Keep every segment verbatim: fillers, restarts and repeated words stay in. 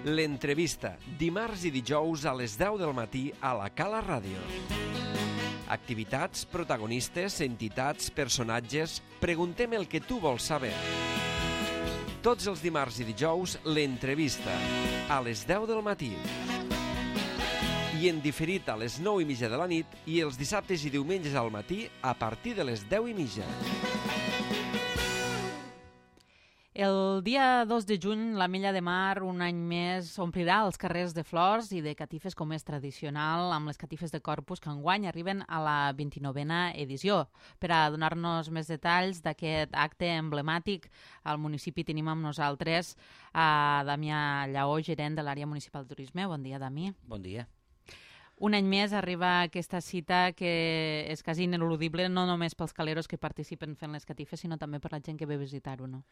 L'entrevista, dimarts i dijous a les deu del matí a la Cala Ràdio. Activitats, protagonistes, entitats, personatges... Preguntem el que tu vols saber. Tots els dimarts i dijous, l'entrevista, a les deu del matí. I en diferit a les nou i mitja de la nit i els dissabtes i diumenges al matí a partir de les deu i mitja. El dia dos de juny, l'Ametlla de Mar, un any més, omplirà els carrers de flors i de catifes com és tradicional, amb les catifes de Corpus que enguany arriben a la vint-i-novena edició. Per a donar-nos més detalls d'aquest acte emblemàtic, al municipi tenim amb nosaltres a Damià Lleó, gerent de l'àrea municipal de turisme. Bon dia, Dami. Bon dia. Un any més arriba aquesta cita que és quasi ineludible, no només pels caleros que participen fent les catifes, sinó també per la gent que ve a visitar-ho, no?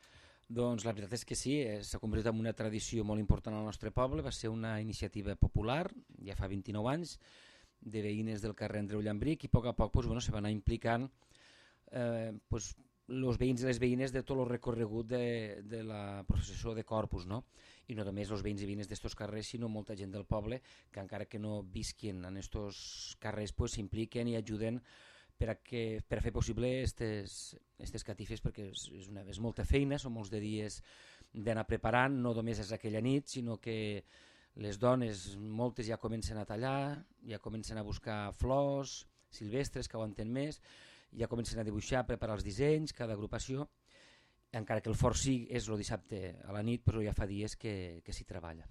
Doncs la veritat és que sí, s'ha convertit en una tradició molt important al nostre poble, va ser una iniciativa popular, ja fa vint-i-nou anys, de veïnes del carrer Andreu Llambric, i a poc a poc pues, bueno, se va anar implicant eh, pues, els veïns i les veïnes de tot el recorregut de, de la processó de Corpus, no? I no només els veïns i veïnes d'estos carrers, sinó molta gent del poble que encara que no visquin en estos carrers s'impliquen pues, i ajuden per a, que, per a fer possible aquestes catifes, perquè és, és, una, és molta feina, són molts de dies d'anar preparant, no només és aquella nit, sinó que les dones, moltes ja comencen a tallar, ja comencen a buscar flors silvestres que aguanten més, ja comencen a dibuixar, a preparar els dissenys, cada agrupació, encara que el fort sí és el dissabte a la nit, però ja fa dies que, que s'hi treballa.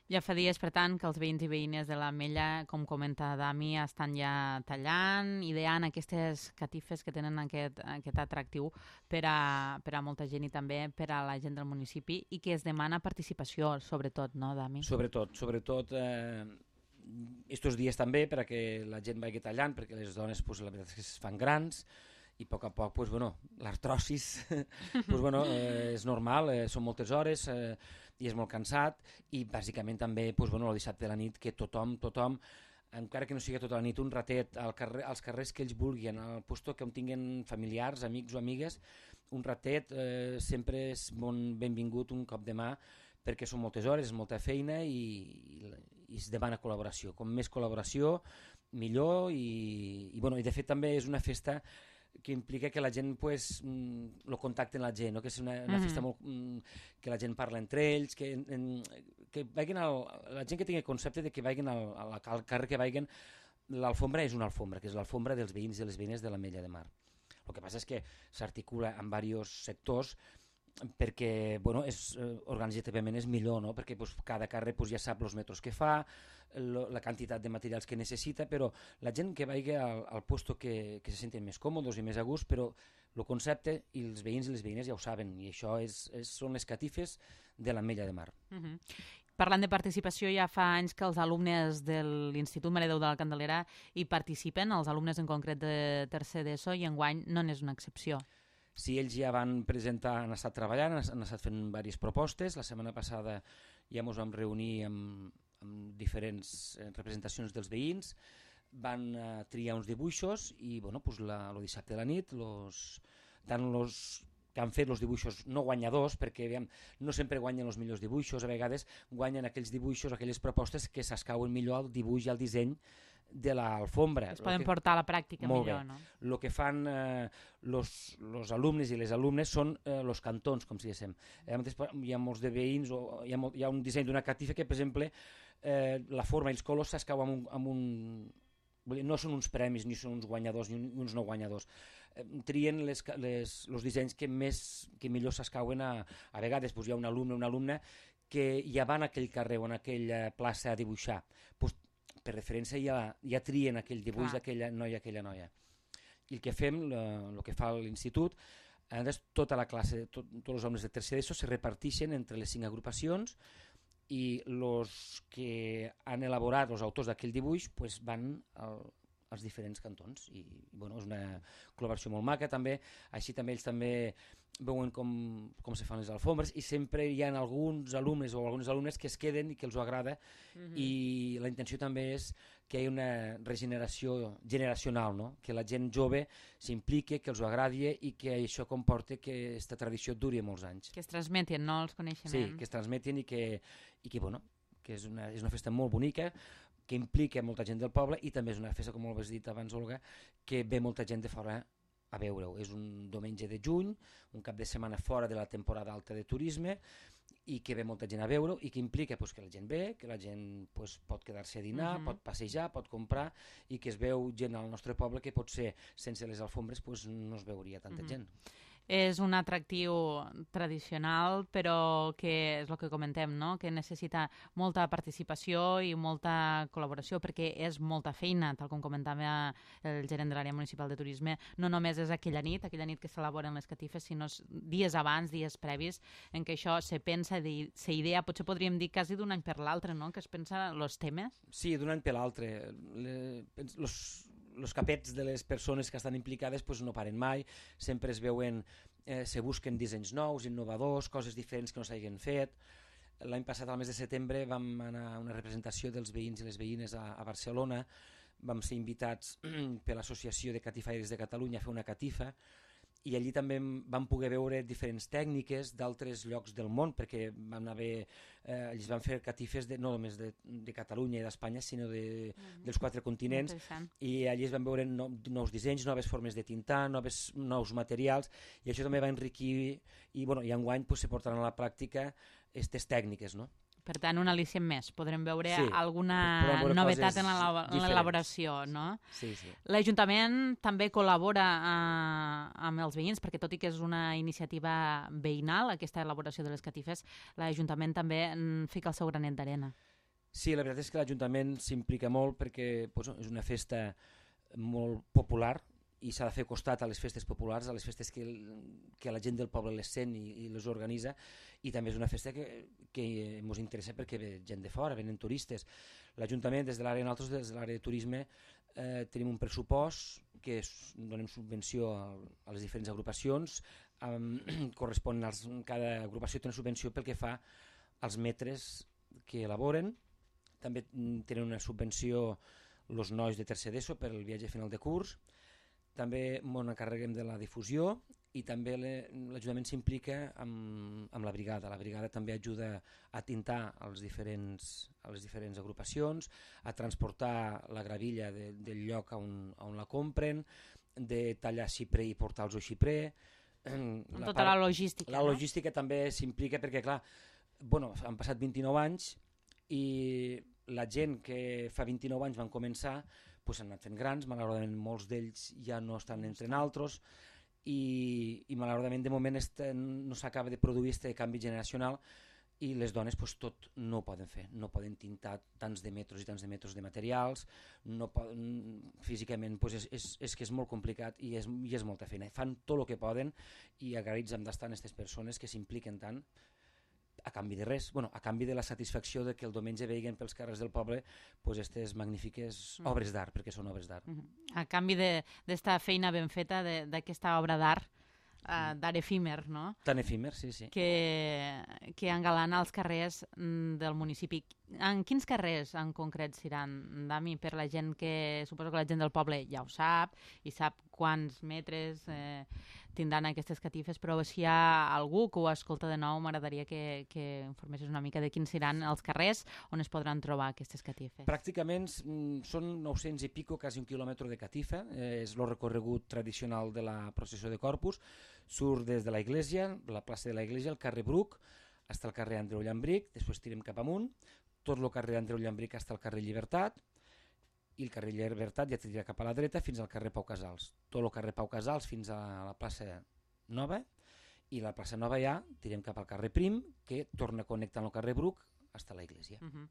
Ja fa dies, per tant, que els veïns i veïnes de l'Ametlla, com comenta Dami, estan ja tallant, ideant aquestes catifes que tenen aquest, aquest atractiu per a, per a molta gent i també per a la gent del municipi i que es demana participació, sobretot, no, Dami? Sobretot, sobretot eh, estos dies també per a que la gent vagi tallant, perquè les dones pues, la veritat és que es fan grans, i a poc a poc, pues, bueno, l'artrosis pues, bueno, eh, és normal, eh, són moltes hores eh, i és molt cansat, i bàsicament també pues, bueno, el dissabte de la nit que tothom, tothom, encara que no sigui tota la nit, un ratet al carrer, als carrers que ells vulguin, al lloc que on tinguin familiars, amics o amigues, un ratet eh, sempre és bon, benvingut un cop de mà, perquè són moltes hores, és molta feina i, i, i es demana col·laboració. Com més col·laboració, millor, i, i, bueno, i de fet també és una festa que implica que la gent pues, el contacte amb la gent, no? Que és una, una mm-hmm. festa molt, que la gent parla entre ells, que, en, que vagin al, la gent que tingui el concepte de que vagin al, al, al carrer que vagin, l'alfombra és una alfombra, que és l'alfombra dels veïns i les veïnes de l'Ametlla de Mar. El que passa és que s'articula en diversos sectors perquè bueno, és, organitzativament és millor, no? Perquè pues, cada carrer pues, ja sap els metres que fa, lo, la quantitat de materials que necessita, però la gent que vagi al, al lloc que, que se senten més còmodes i més a gust, però el concepte i els veïns i les veïnes ja ho saben, i això és, és, són les catifes de l'Ametlla de Mar. Uh-huh. Parlant de participació, ja fa anys que els alumnes de l'Institut Mare Déu de la Candelera hi participen, els alumnes en concret de tercer d'ESO, i enguany no n'és una excepció. Sí, ells ja van presentar, han estat treballant, han estat fent diverses propostes. La setmana passada ja ens vam reunir amb, amb diferents representacions dels veïns, van uh, triar uns dibuixos i bueno, pues la, el dissabte de la nit los, tant els que han fet els dibuixos no guanyadors, perquè aviam, no sempre guanyen els millors dibuixos, a vegades guanyen aquells dibuixos, aquelles propostes que s'escauen millor al dibuix i al disseny de l'alfombra. Es poden que, portar a la pràctica millor, bé. No? El que fan els eh, alumnes i les alumnes són els eh, cantons, com si diguéssim. Eh, hi ha molts de veïns, o hi ha, molt, hi ha un disseny d'una catifa que, per exemple, eh, la forma i els colors s'escau amb un... Amb un no són uns premis, ni són uns guanyadors, ni uns no guanyadors. Eh, trien les, les, els dissenys que, més, que millor s'escauen a, a vegades. Pues hi ha un alumne o una alumna que ja van a aquell carrer o a aquella plaça a dibuixar. Pues, per referència ja, ja trien aquell dibuix d'aquella noia, aquella noia. I el que fem, el que fa l'institut, tota la classe, tot, tots els homes de tercer d'ESO se reparteixen entre les cinc agrupacions i els que han elaborat, els autors d'aquell dibuix, pues van al, als diferents cantons. I bueno, és una col·laboració molt maca també, així també ells també veuen com, com se fan les alfombres i sempre hi ha alguns alumnes o algunes alumnes que es queden i que els ho agrada mm-hmm. i la intenció també és que hi hagi una regeneració generacional, no? Que la gent jove s'implique, que els ho agradi i que això comporte que aquesta tradició duri molts anys. Que es transmetin, no, els coneixements. Sí, que es transmetin i que, i que bueno, que és una, és una festa molt bonica, que implica molta gent del poble, i també és una festa, com ho has dit abans, Olga, que ve molta gent de fora a veure-ho. És un diumenge de juny, un cap de setmana fora de la temporada alta de turisme, i que ve molta gent a veure-ho, i que implica pues, que la gent ve, que la gent pues, pot quedar-se a dinar, uh-huh. pot passejar, pot comprar, i que es veu gent al nostre poble que potser sense les alfombres pues, no es veuria tanta uh-huh. gent. És un atractiu tradicional, però que és el que comentem, no? Que necessita molta participació i molta col·laboració, perquè és molta feina, tal com comentava el gerent de l'àrea municipal de turisme. No només és aquella nit, aquella nit que s'elaboren les catifes, sinó dies abans, dies previs, en què això se pensa, se idea, potser podríem dir quasi d'un any per l'altre, no? Que es pensa els temes. Sí, d'un any per l'altre. Els els capets de les persones que estan implicades pues, no paren mai, sempre es veuen, eh, se busquen dissenys nous, innovadors, coses diferents que no s'hagin fet. L'any passat, al mes de setembre, vam anar a una representació dels veïns i les veïnes a, a Barcelona, vam ser invitats per l'Associació de Catifaires de Catalunya a fer una catifa, i allí també vam poder veure diferents tècniques d'altres llocs del món, perquè van haver, eh, ells van fer catifes de, no només de, de Catalunya i d'Espanya, sinó de, mm-hmm. dels quatre continents, i allí es van veure no, nous dissenys, noves formes de tintar, noves, nous materials, i això també va enriquir, i, bueno, i enguany pues, se portaran a la pràctica aquestes tècniques, no? Per tant, un al·licient més. Podrem veure sí, alguna veure novetat en l'elaboració, no? Sí, sí. L'Ajuntament també col·labora eh, amb els veïns, perquè tot i que és una iniciativa veïnal, aquesta elaboració de les catifes, l'Ajuntament també fica el seu granet d'arena. Sí, la veritat és que l'Ajuntament s'implica molt perquè pues, és una festa molt popular, i s'ha de fer costat a les festes populars, a les festes que, que la gent del poble les sent i, i les organitza, i també és una festa que, que ens interessa perquè ve gent de fora, venen turistes. L'Ajuntament, des de l'àrea, nosaltres des de l'àrea de turisme, eh, tenim un pressupost que és, donem subvenció a, a les diferents agrupacions, eh, correspon als, cada agrupació té una subvenció pel que fa als metres que elaboren, també tenen una subvenció els nois de tercer d'ESO per el viatge final de curs, també ens encarreguem de la difusió, i també l'Ajuntament s'implica amb, amb la brigada. La brigada també ajuda a tintar als diferents, a les diferents agrupacions, a transportar la gravilla de, del lloc on, on la compren, de tallar xiprer i portar-los al xiprer. La tota part, la logística. La logística no? També s'implica perquè, clar, bueno, han passat vint-i-nou anys i la gent que fa vint-i-nou anys van començar pues, han anat fent grans, malauradament molts d'ells ja no estan entre naltros, i, i malauradament de moment este, no s'acaba de produir aquest canvi generacional, i les dones pues, tot no ho poden fer, no poden tintar tants de metros i tants de metros de materials, no poden, físicament pues, és, és, és que és molt complicat i és, i és molta feina. Fan tot el que poden, i agraïts hem d'estar en aquestes persones que s'impliquen tant, a canvi de res, bueno, a canvi de la satisfacció de que el diumenge veien pels carrers del poble pues, aquestes magnífiques mm. obres d'art, perquè són obres d'art. Mm -hmm. A canvi d'esta feina ben feta, d'aquesta obra d'art, uh, d'art efímer, no? Tan efímer, sí, sí. Que, que engalana els carrers del municipi. En quins carrers en concret seran, Dami, per la gent que, suposo que la gent del poble ja ho sap, i sap quants metres eh, tindran aquestes catifes, però si hi ha algú que ho escolta de nou, m'agradaria que, que informessis una mica de quins seran els carrers on es podran trobar aquestes catifes. Pràcticament mm, són nou-cents i pico, quasi un quilòmetre de catifa, eh, és el recorregut tradicional de la processió de Corpus, surt des de la Iglesia, la plaça de la Iglesia, el carrer Bruc, fins al carrer Andreu Llambric, després tirem cap amunt, tot el carrer Andreu Llambric fins al carrer Llibertat, i el carrer Llibertat ja tira cap a la dreta fins al carrer Pau Casals. Tot el carrer Pau Casals fins a la plaça Nova, i la plaça Nova ja tirem cap al carrer Prim, que torna a connectar amb el carrer Bruc fins a la Iglesia. Uh -huh.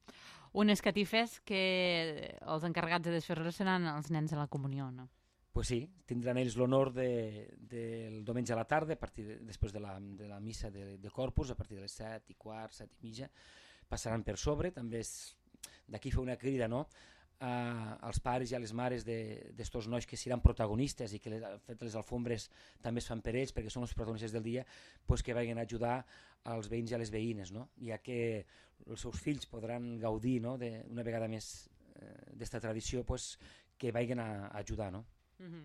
Unes catifes que els encarregats de desfer-les seran els nens de la comunió, no? Pues sí, tindran ells l'honor de, del diumenge a la tarda, a partir de, després de la, de la missa de, de Corpus, a partir de les set i quart, set i mitja, passaran per sobre. També d'aquí fer una crida, no?, Uh, als pares i a les mares d'estos de, nois que seran protagonistes i que les, fet, les alfombres també es fan per ells perquè són els protagonistes del dia, pues, que vagin a ajudar als veïns i a les veïnes, no? Ja que els seus fills podran gaudir, no?, de, una vegada més eh, d'esta tradició, pues, que vagin a, a ajudar, no? Uh-huh.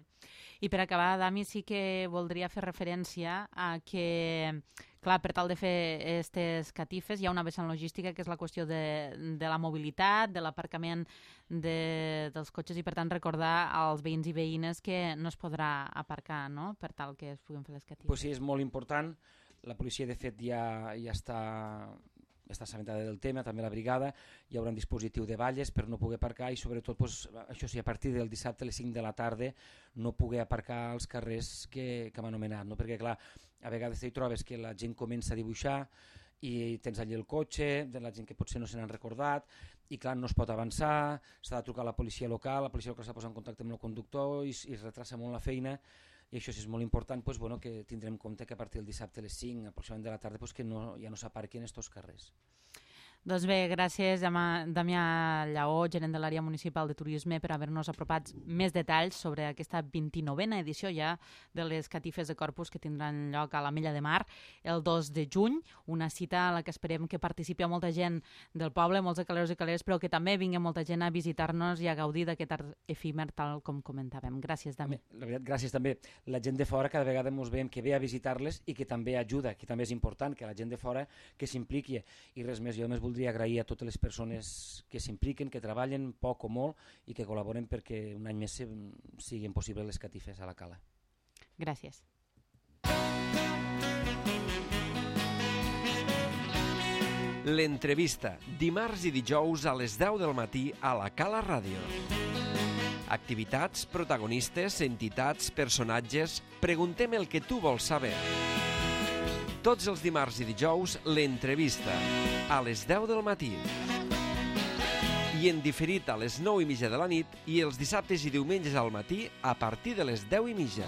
I per acabar, Dami, sí que voldria fer referència a que Clar, per tal de fer aquestes catifes hi ha una vessant logística que és la qüestió de, de la mobilitat, de l'aparcament de, dels cotxes i per tant recordar als veïns i veïnes que no es podrà aparcar, no?, per tal que es puguin fer les catifes. Pues sí, és molt important. La policia de fet ja, ja està... està assabentada del tema, també la brigada, hi haurà un dispositiu de valles per no poder aparcar i sobretot, pues, això sí, a partir del dissabte a les cinc de la tarda no poder aparcar als carrers que, que hem anomenat, no? Perquè clar, a vegades hi trobes que la gent comença a dibuixar i tens allí el cotxe, de la gent que potser no se n'han recordat, i clar, no es pot avançar, s'ha de trucar a la policia local, la policia local s'ha de posar en contacte amb el conductor i, i es retrasa molt la feina, i això sí és molt important, pues, bueno, que tindrem en compte que a partir del dissabte a les cinc aproximadament de la tarda pues, que no, ja no s'aparquin estos carrers. Doncs bé, gràcies Damià Lleó, gerent de l'àrea municipal de turisme, per haver-nos apropat més detalls sobre aquesta vint-i-novena edició ja de les catifes de Corpus que tindran lloc a l'Ametlla de Mar el dos de juny, una cita a la que esperem que participi molta gent del poble, molts de caleros i caleres, però que també vingui molta gent a visitar-nos i a gaudir d'aquest art efímer tal com comentàvem. Gràcies, Damià. La veritat, gràcies també. La gent de fora cada vegada ens veiem que ve a visitar-les i que també ajuda, que també és important que la gent de fora que s'impliqui. I res més, jo només voldria agrair a totes les persones que s'impliquen, que treballen poc o molt i que col·laboren perquè un any més siguin possibles les catifes a la cala. Gràcies. L'entrevista, dimarts i dijous a les deu del matí a la Cala Ràdio. Activitats, protagonistes, entitats, personatges... Preguntem el que tu vols saber. Tots els dimarts i dijous, l'entrevista, a les deu del matí. I en diferit a les nou i mitja de la nit i els dissabtes i diumenges al matí a partir de les deu i mitja.